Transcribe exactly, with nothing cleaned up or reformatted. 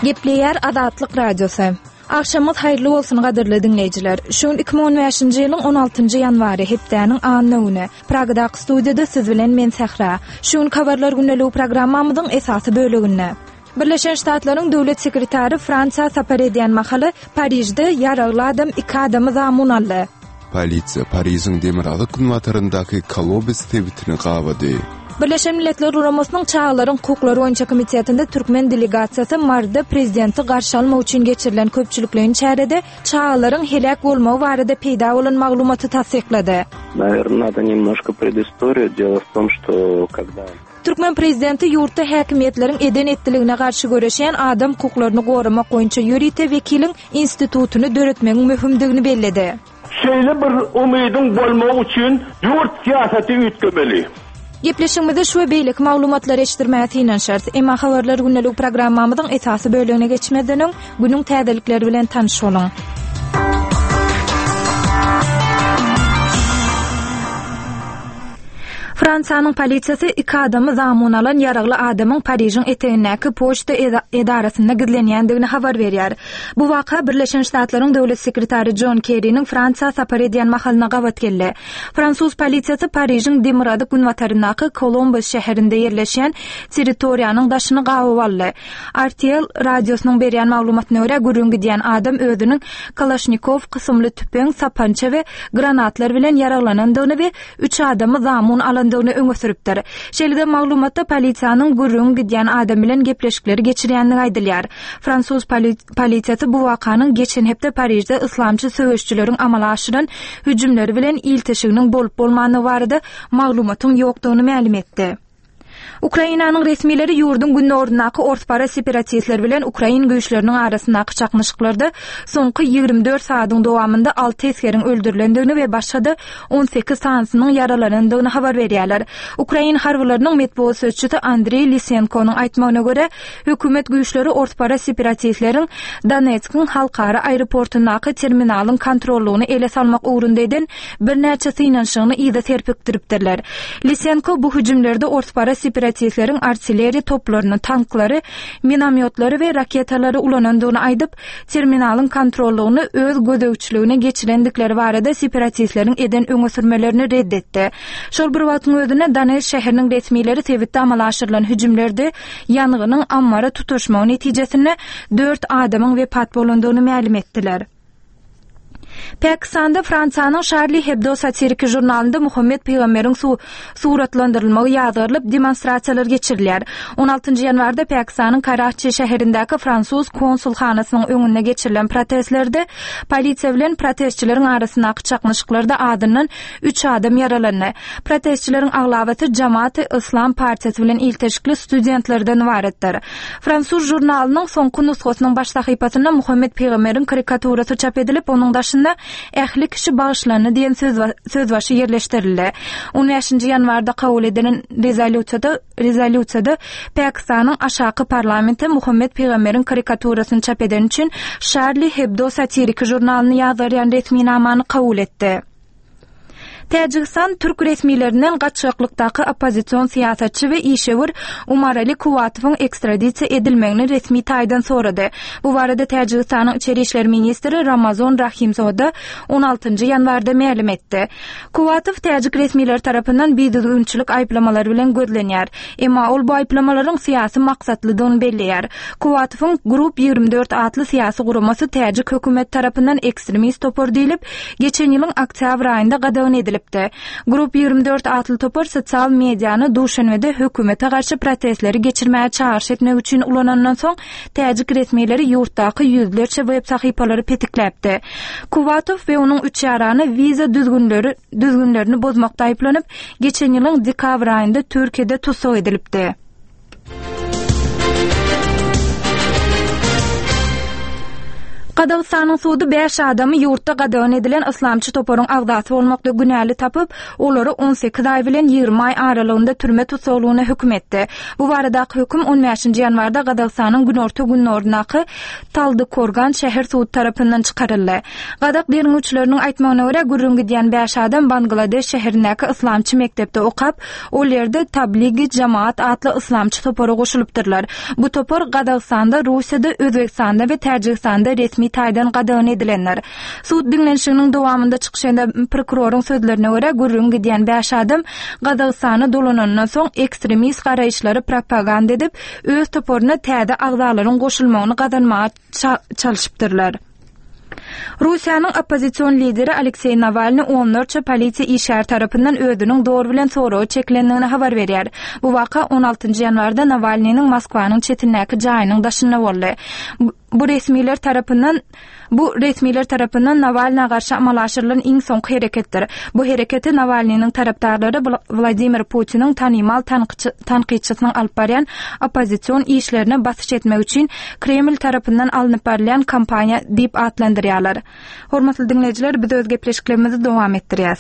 Gepleýär Azatlyk Radiosy. Agşamyňyz haýyrly bolsun gadyrly diňleýjiler. Şu gün iki müň on bäşinji ýylyň on altynjy ýanwary hepdäniň anna güni. Pragadaky studiýada siz bilen men Sähra. Şu gün habarlar gündeligi programmamyzyň esasy böleginde. Birleşen Ştatlaryň döwlet sekretary Fransiýa sapar edýän mahaly Parižde ýaragly adam iki adamy zamun aldy. Polisiýa Parižiň demirgazyk günbataryndaky Kolobes sebitini gabady. Birleşen Milletler Guramasynyň Çagalaryň hukuklary boýunça komitetinde türkmen delegasiýasy Maryda prezidenti garşy almak üçin geçirilen köpçülikleýin çärede çagalaryň heläk bolmagy barada peýda bolan maglumaty tassyklady. Наверное, надо немножко предысторию. Дело в том, что когда Türkmen prezidenti ýurtda häkimiýetleriň eden etdiligine garşy göreşýän adam hukuklaryny goramak boýunça ýörite wekiliň institutyny döretmegiň möhümdigini belledi. Şeýle bir umydyň bolmagy üçin ýurt syýasaty üýtgemeli. Gepleşigimizi şu we beýleki maglumatlary eşitdirmäge synanyşarys. Emma habarlar gündelik programmamyzyň esasy bölegine geçmezden öň günüň täzelikleri bilen tanyş boluň. Fransiýanyň polisiýasy iki adamy zamun alan ýaragly adamyň Parižiň etegindäki poçta edarasynda gizlenýändigini habar berýär. Bu waka Birleşen Ştatlaryň döwlet sekretary John Kerry'niň Fransiýa sapar edýän mahalyna gabat geldi. Fransuz polisiýasy Parižiň demirgazyk günbataryndaky Kolombos şäherinde ýerleşýän territoriýanyň daşyny gabyp aldy. R T L radiosynyň berýän maglumatyna görä gürrüň gidýän adam özüniň Kalaşnikov kysymly tüpeň, sapança we granatlar bilen ýaraglanandygyny we üç adamy zamun alandygyny öňe sürüpdir. Şeýle-de maglumatda polisiýanyň gürrüň gidýän adam bilen gepleşikleri geçirýändigi aýdylýar. Fransuz poli-, polisiýasy bu wakanyň geçen hepde Parižde islamçy söweşçileriň amala aşyran hüjümleri bilen ilteşiginiň bolup bolmandygy barada maglumatyň ýokdugyny mälim etdi. Ukrainanyň resmileri ýurduň gündogaryndaky orspara separatistler bilen Ukrain güýçleriniň arasyndaky çaknyşyklarda soňky ýigrimi dört saadyň dowamynda alty esgeriň öldürilendigini we başga-da on sekiz sanysynyň ýaralanandygyny habar berýärler. Ukrain harbylarynyň metbugat sözçüsi Andrei Lisenkonyň aýtmagyna görä, hökümet güýçleri orspara separatistleriň Donetskiň halkara aeroportundaky terminalyň kontrollugyny ele salmak ugrunda eden birnäçe synanyşygyny yza serpikdiripdirler. Lisenko bu hüjümlerde orspara separatistleriň artilleriýa toplaryny, tanklary, minomyotlary we raketalary ulanandygyny aýdyp, terminalyň kontrollugyny öz gözegçiligine geçirendikleri barada separatistleriň eden öňe sürmelerini red etdi. Şol bir wagtyň özünde Donetsk şäheriniň resmileri sebitde amala aşyrylan hüjümlerde ýangynyň ammara tutaşmagy netijesinde dört adamyň wepat bolandygyny mälim etdiler. Pakistanda Fransiýanyň Charlie Hebdo satiriki jurnalynda Muhammed Peygamberin su-, suratlandyrylmagy ýazgyrylyp demonstrasiýalar geçirilýär. on altynjy ýanwarda Pakistanyň Karaçi şäherindäki fransuz konsulhanasynyň öňünde geçirilen protestlerde polisiýa bilen protestçileriň arasyndaky çaknyşyklarda adyndan üç adam ýaralandy. Protestçileriň aglabasy Jamaat-i Islam partiýasy bilen ilteşikli studentlerden ybaratdyr. Fransuz jurnalynyň soňky nusgasynyň baş sahypasynda Muhammed Peygamberin karikaturasy çap edilip, onuň daşynda ähli kişi bagyşlandy diýen söz ba-, sözbaşy ýerleşdirildi. on bäşinji ýanwarda kabul edilen rezolýusiýada, rezolýusiýada Pakistanyň aşaky parlamenti Muhammed Peygamberin karikaturasyny çap eden üçin Charlie Hebdo satiriki jurnalyny ýazgarýan resminamany kabul etdi. Täjigistan türk resmilerinden gaçaklykdaky oppozision syýasatçy we işewür Umarali Kuwatowyň ekstradisiýa edilmegini resmi taýdan sorady. Bu barada Täjigistanyň içeri işler ministri Ramazon Rahimzoda on altynjy ýanwarda mälim etdi. Kuwatow täjik resmileri tarapyndan bidüzgünçilik aýyplamalary bilen gözlenýär. Emma ol bu aýyplamalaryň syýasy maksatlydygyny belleýär. Kuwatowyň Grup ýigrimi dört atly syýasy guramasy täjik hökümet tarapyndan ekstremist topar diýlip, geçen ýylyň oktýabr aýynda gadagan edilipdi. Grup ýigrimi dört atly topar sosial mediany Duşenbede hökümete garşy protestleri geçirmäge çagyryş etmek üçin ulanandan soň täjik resmileri ýurtdaky ýüzlerçe web sahypalary petikläpdi. Kuwatow we onuň üç ýarany wiza düzgünleri, düzgünlerini bozmakda aýyplanyp, geçen ýylyň dekabr aýynda Türkiýede tussag edilipdi. Gazagystanyň sudy bäş adamy ýurtda gadagan edilen yslamçy toparyň agzasy bolmakda günäli tapyp, olary on sekiz aý bilen ýigrimi aý aralygynda türme tussaglygyna höküm etdi. Bu baradaky höküm on bäşinji ýanwarda Gazagystanyň günorta-gündogaryndaky Taldykorgan şäher sudy tarapyndan çykaryldy. Gazak derňewçileriniň aýtmagyna görä, gürrüň gidýän bäş adam Bangladeş şäherindäki yslamçy mekdepde okap, ol ýerde Tabligi Jamaat atly yslamçy topara goşulypdyrlar. Bu topar Gazagystanda, Russiýada, Özbegistanda we Täjigistanda resmi taýdan gadagan edilendir. Sud diňlenişiginiň dowamynda çykyş eden prokuroryň sözlerine görä, gürrüň gidýän bäş adam Gazagystana dolanandan soň ekstremist garaýyşlary propaganda edip, öz toparyna täze agzalaryň goşulmagyny gazanmaga çalşypdyrlar. Russiýanyň oppozision lideri Alekseý Nawalny onlarça polisiýa işgäri tarapyndan özüniň zor bilen soraga çekilendigini habar berýär. Bu waka on altynjy ýanwarda Nawalnynyň Moskwanyň çetindäki jaýynyň daşynda boldy. Bu resmiler tarapyndan Bu resmiler tarapyndan Nawalna garşy amala aşyrylan iň soňky hereketdir. Bu hereketi Nawalnynyň tarapdarlary Wladimir Putiniň tanymal tankytçysynyň alyp barýan oppozision işlerine basyş etmek üçin Kreml tarapyndan alnyp barylýan kampaniýa diýip atlandyrýarlar. Hormatly diňleýjiler, biz öz gepleşiklerimizi dowam etdirýäs.